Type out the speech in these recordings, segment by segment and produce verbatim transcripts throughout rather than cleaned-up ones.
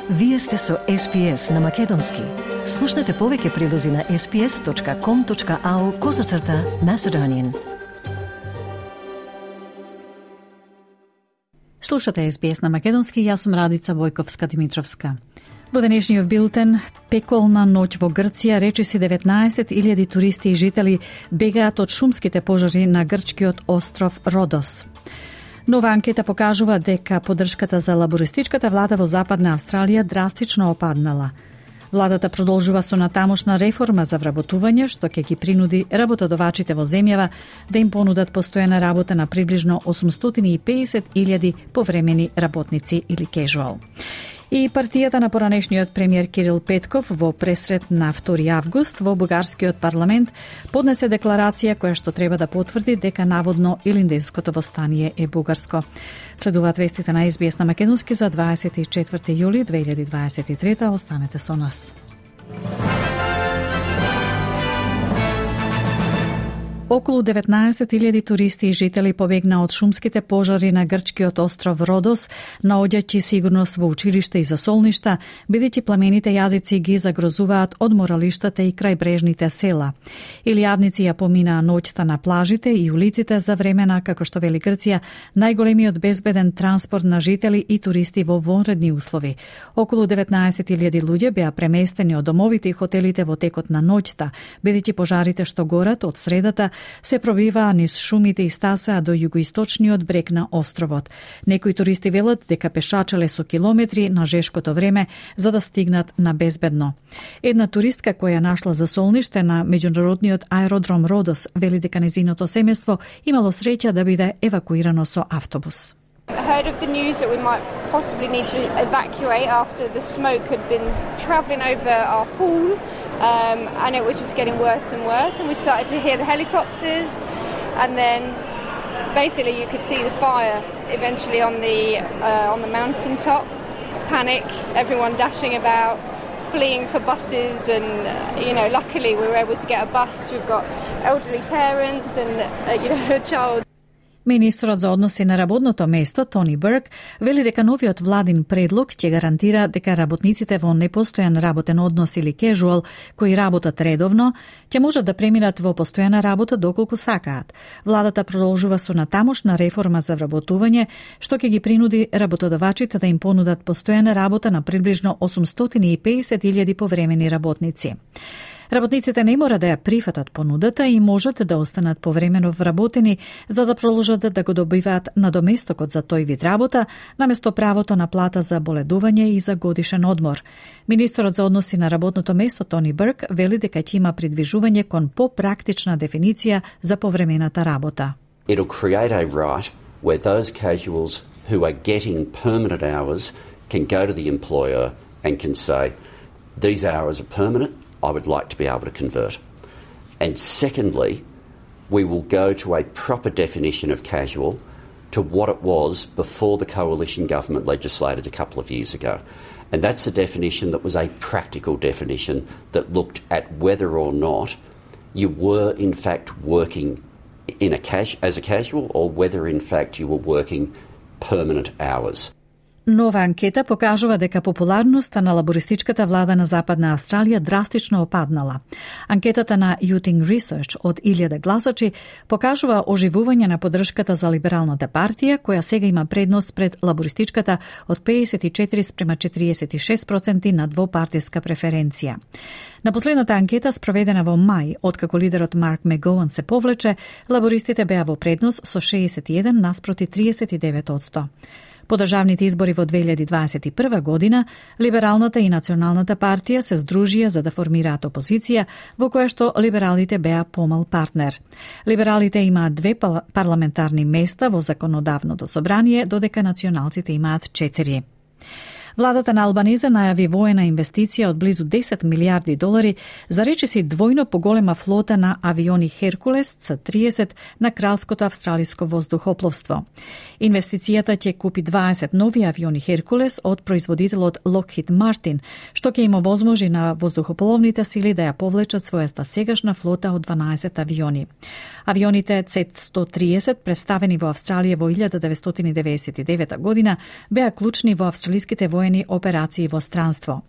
Вие сте со Ес Би Ес на Македонски. Слушнете повеќе прилози на ес би ес точка ком точка ау козацрта Macedonian. Слушате Ес Би Ес на Македонски, јас сум Радица Војковска-Димитровска. Во денешниот билтен, пеколна ноќ во Грција, речиси деветнаесет илјади туристи и жители бегаат од шумските пожари на грчкиот остров Родос. Нова анкета покажува дека поддршката за лабористичката влада во Западна Австралија драстично опаднала. Владата продолжува со натамошна реформа за вработување, што ќе ги принуди работодавачите во земјава да им понудат постојана работа на приближно осумстотини и педесет илјади повремени работници или casual. И партијата на поранешниот премиер Кирил Петков во пресрет на втори август во бугарскиот парламент поднесе декларација која што треба да потврди дека наводно Илинденското востание е бугарско. Следуваат вестите на Ес Би Ес на Македонски за дваесет и четврти јули две илјади дваесет и трета. Останете со нас. Околу деветнаесет илјади туристи и жители побегна од шумските пожари на грчкиот остров Родос, наоѓајќи сигурност во училишта и засолништа, бидејќи пламените јазици ги загрозуваат од моралиштата и крајбрежните села. Илијадници ја поминаа ноќта на плажите и улиците за времена, како што вели Грција, најголемиот безбеден транспорт на жители и туристи во вонредни услови. Околу деветнаесет илјади луѓе беа преместени од домовите и хотелите во текот на ноќта, бидејќи пожарите што горат од средата се пробиваа низ шумите и стасаа до југоисточниот брег на островот. Некои туристи велат дека пешачеле со километри на жешкото време за да стигнат на безбедно. Една туристка која нашла засолниште на меѓународниот аеродром Родос вели дека нејзиното семејство имало среќа да биде евакуирано со автобус. I heard of the news that we might possibly need to evacuate after the smoke had been travelling over our pool, um, and it was just getting worse and worse, and we started to hear the helicopters, and then basically you could see the fire eventually on the uh, on the mountain top. Panic, everyone dashing about, fleeing for buses, and uh, you know, luckily we were able to get a bus. We've got elderly parents and uh, you know, a child. Министрот за односи на работното место, Тони Бурк, вели дека новиот владин предлог ќе гарантира дека работниците во непостојан работен однос или casual, кои работат редовно, ќе можат да преминат во постојана работа доколку сакаат. Владата продолжува со натамошна реформа за вработување, што ќе ги принуди работодавачите да им понудат постојана работа на приближно осумстотини и педесет илјади повремени работници. Работниците не мора да ја прифатат понудата и можат да останат повремено вработени за да продолжат да го добиваат надоместокот за тој вид работа, наместо правото на плата за боледување и за годишен одмор. Министрот за односи на работното место Тони Бурк вели дека ќе има придвижување кон попрактична дефиниција за повремената работа. It'll create a right where those casuals who are getting permanent hours can go to the employer and can say, these hours are permanent, I would like to be able to convert. And secondly, we will go to a proper definition of casual to what it was before the coalition government legislated a couple of years ago. And that's a definition that was a practical definition that looked at whether or not you were in fact working in a cas- as a casual or whether in fact you were working permanent hours. Нова анкета покажува дека популарноста на лабористичката влада на Западна Австралија драстично опаднала. Анкетата на Youting Research од илјада гласачи покажува оживување на поддршката за либералната партија, која сега има предност пред лабористичката од педесет и четири спрема четириесет и шест проценти на двопартиска преференција. На последната анкета, спроведена во мај, откако лидерот Марк Мегоуан се повлече, лабористите беа во предност со шеесет и еден наспроти триесет и девет одсто. По државните избори во две илјади дваесет и прва година, Либералната и Националната партија се здружија за да формираат опозиција, во која што либералите беа помал партнер. Либералите имаат две парламентарни места во законодавното собрание, додека националците имаат четири. Владата на Албаниза најави воена инвестиција од близу десет милијарди долари за речиси двојно поголема флота на авиони Херкулес Ц тридесет на Кралското австралиско воздухопловство. Инвестицијата ќе купи дваесет нови авиони Херкулес од производителот Lockheed Martin, што ќе им овозможи на воздухопловните сили да ја повлечат својата сегашна флота од дванаесет авиони. Авионите Ц сто тридесет, представени во Австралија во илјада деветстотини деветдесет и девета година, беа клучни во австралиските воени воени операции во странство.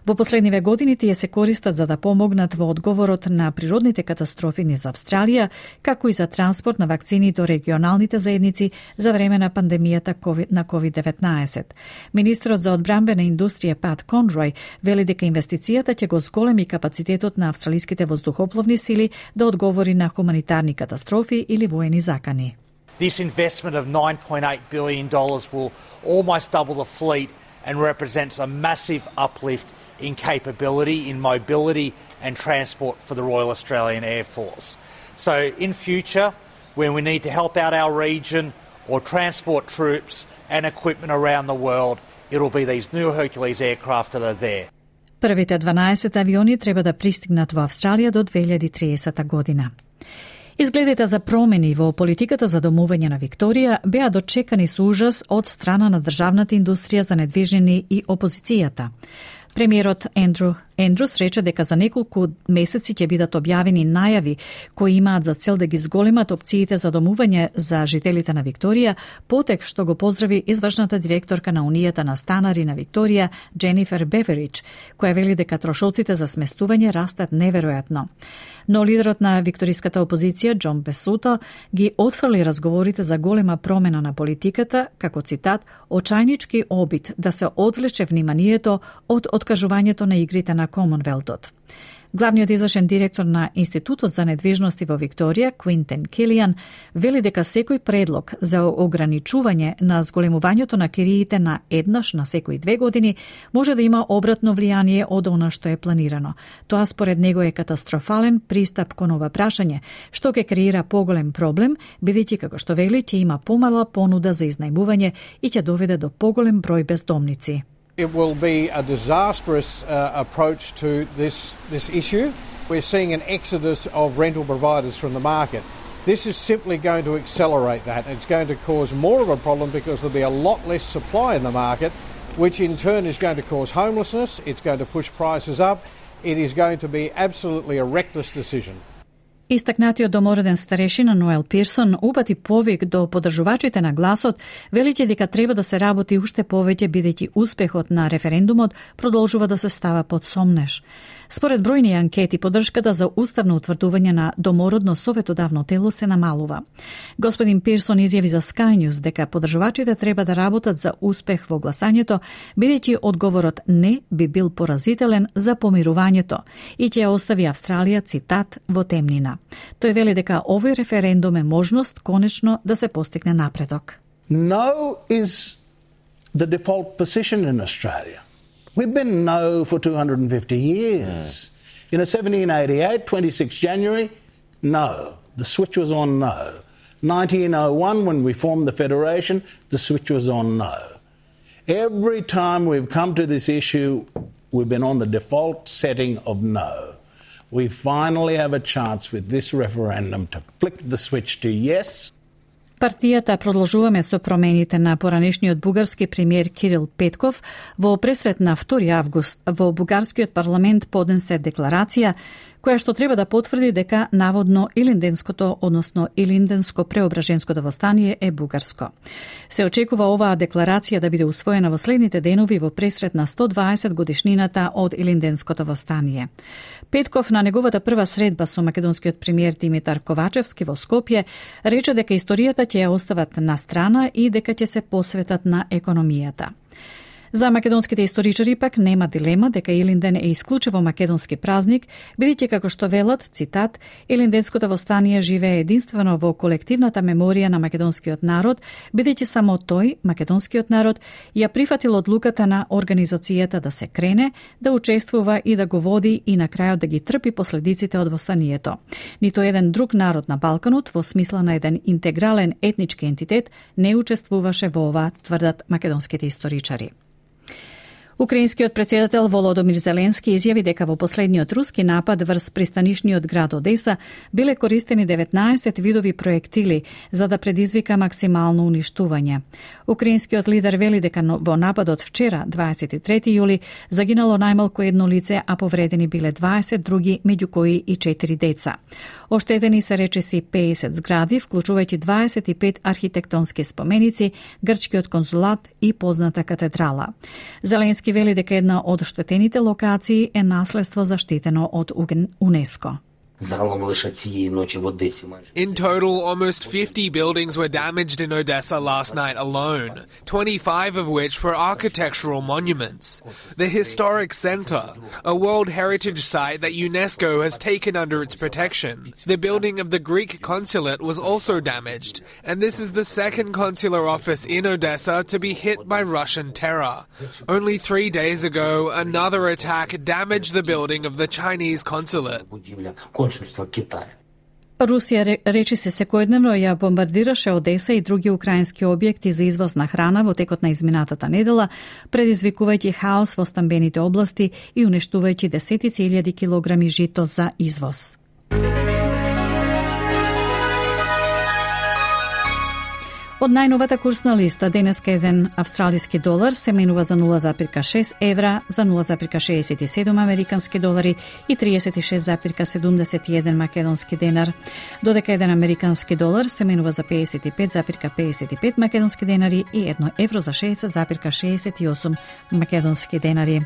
Во последниве години тие се користат за да помогнат во одговорот на природните катастрофи низ Австралија, како и за транспорт на вакцини до регионалните заедници за време на пандемијата на ковид деветнаесет. Министрот за одбранбена индустрија Пат Конрој вели дека инвестицијата ќе го зголеми капацитетот на австралиските воздухопловни сили да одговори на хуманитарни катастрофи или воени закани. This investment of nine point eight billion dollars will almost double the fleet and represents a massive uplift in capability, in mobility and transport for the Royal Australian Air Force. So in future, when we need to help out our region or transport troops and equipment around the world, it'll be these new Hercules aircraft that are there. Првите дванаесет авиони треба да пристигнат во Австралија до две илјади и триесета година. Изгледите за промени во политиката за домување на Викторија беа дочекани со ужас од страна на државната индустрија за недвижнини и опозицијата. Премиерот Ендрю Ендрус рече дека за неколку месеци ќе бидат објавени најави кои имаат за цел да ги зголемат опциите за домување за жителите на Викторија, потек што го поздрави извршната директорка на Унијата на станари на Викторија, Дженифер Беверидж, која вели дека трошоците за сместување растат неверојатно. Но лидерот на викториската опозиција, Џон Бесуто, ги отфрли разговорите за голема промена на политиката, како цитат, очајнички обид да се одвлече вниманието од откажувањето на игрите на Комонвелтот. Главниот извршен директор на Институтот за недвижности во Викторија, Квинтен Килијан, вели дека секој предлог за ограничување на зголемувањето на кириите на еднаш на секои две години може да има обратно влијание од она што е планирано. Тоа според него е катастрофален пристап кон ова прашање, што ќе креира поголем проблем, бидејќи како што вели ќе има помала понуда за изнајмување и ќе доведе до поголем број бездомници. It will be a disastrous uh, approach to this, this issue. We're seeing an exodus of rental providers from the market. This is simply going to accelerate that. It's going to cause more of a problem because there'll be a lot less supply in the market, which in turn is going to cause homelessness. It's going to push prices up. It is going to be absolutely a reckless decision. Истакнатиот домороден старешина Ноел Пирсон упати повик до поддржувачите на гласот, велејќи дека треба да се работи уште повеќе бидејќи успехот на референдумот продолжува да се става под сомнеж. Според бројни анкети, поддршката за уставно утврдување на домородно советодавно тело се намалува. Господин Пирсон изјави за Sky News дека поддржувачите треба да работат за успех во гласањето, бидејќи одговорот не би бил поразителен за помирувањето и ќе остави Австралија, цитат, во темнина. Тој вели дека овој референдум е можност конечно да се постигне напредок. No is the default position in Australia. We've been no for two hundred fifty years. Yeah. You know, seventeen eighty-eight, twenty-sixth January, no. The switch was on no. nineteen oh one, when we formed the Federation, the switch was on no. Every time we've come to this issue, we've been on the default setting of no. We finally have a chance with this referendum to flick the switch to yes. Партијата продолжуваме со промените на поранешниот бугарски премиер Кирил Петков во пресрет на втори август во бугарскиот парламент поднесе декларација која што треба да потврди дека наводно Илинденското, односно Илинденско преображенското востание е бугарско. Се очекува оваа декларација да биде усвоена во следните денови во пресрет на сто дваесет годишнината од Илинденското востание. Петков на неговата прва средба со македонскиот премиер Димитар Ковачевски во Скопје рече дека историјата ќе ја остават на страна и дека ќе се посветат на економијата. За македонските историчари пак нема дилема дека Илинден е исклучиво македонски празник, бидејќи како што велат, цитат, Илинденското востание живее единствено во колективната меморија на македонскиот народ, бидејќи само тој, македонскиот народ, ја прифатил одлуката на организацијата да се крене, да учествува и да го води и на крајот да ги трпи последиците од востанието. Нито еден друг народ на Балканот, во смисла на еден интегрален етнички ентитет, не учествуваше во ова, тврдат македонските историчари. Украинскиот претседател Володомир Зеленски изјави дека во последниот руски напад врз пристанишниот град Одеса биле користени деветнаесет видови проектили за да предизвика максимално уништување. Украинскиот лидер вели дека во нападот вчера, дваесет и трети јули, загинало најмалку едно лице, а повредени биле дваесет други, меѓу кои и четири деца. Оштетени се речиси пеесет згради, вклучувајќи дваесет и пет архитектонски споменици, грчкиот конзулат и позната катедрала. Зеленски вели дека една од оштетените локации е наследство заштитено од УНЕСКО. In total, almost fifty buildings were damaged in Odessa last night alone, twenty-five of which were architectural monuments. The historic center, a World Heritage Site that UNESCO has taken under its protection. The building of the Greek consulate was also damaged, and this is the second consular office in Odessa to be hit by Russian terror. Only three days ago, another attack damaged the building of the Chinese consulate. Русија речиси секојдневно ја бомбардираше Одеса и други украински објекти за извоз на храна во текот на изминатата недела, предизвикувајќи хаос во стамбените области и уништувајќи десетици илјади килограми жито за извоз. Од најновата курсна листа, денеска еден австралиски долар се менува за нула запирка шест евра, за нула запирка шеесет и седум американски долари и триесет и шест запирка седумдесет и еден македонски денар, додека еден американски долар се менува за пеесет и пет запирка пеесет и пет македонски денари и едно евро за шеесет запирка шеесет и осум македонски денари.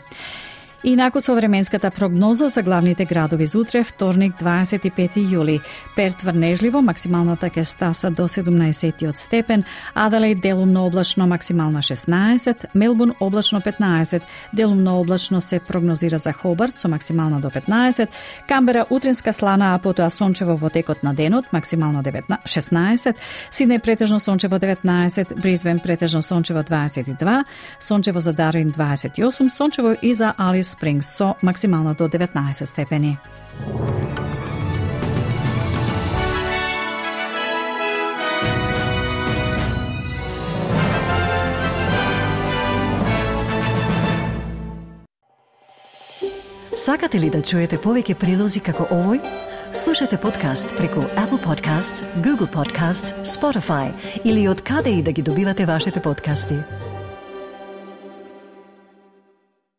И инаку со временската прогноза за главните градови за утре, вторник, дваесет и пети јули. Перт врнежливо, максималната ќе стаса до седумнаесет степен, Аделаид делумно облачно, максимална шеснаесет, Мелбурн облачно петнаесет, делумно облачно се прогнозира за Хобарт со максимална до петнаесет, Камбера утринска слана, а потоа сончево во текот на денот, максимално шеснаесет, Сиднеј претежно сончево деветнаесет, Брисбен претежно сончево дваесет и два, сончево за Дарвин дваесет и осум, сончево и за Алис Спрингс со максимално до деветнаесет степени. Сакате ли да чуете повеќе прилози како овој? Слушате подкаст преку Apple Podcasts, Google Podcasts, Spotify или од каде и да ги добивате вашите подкасти.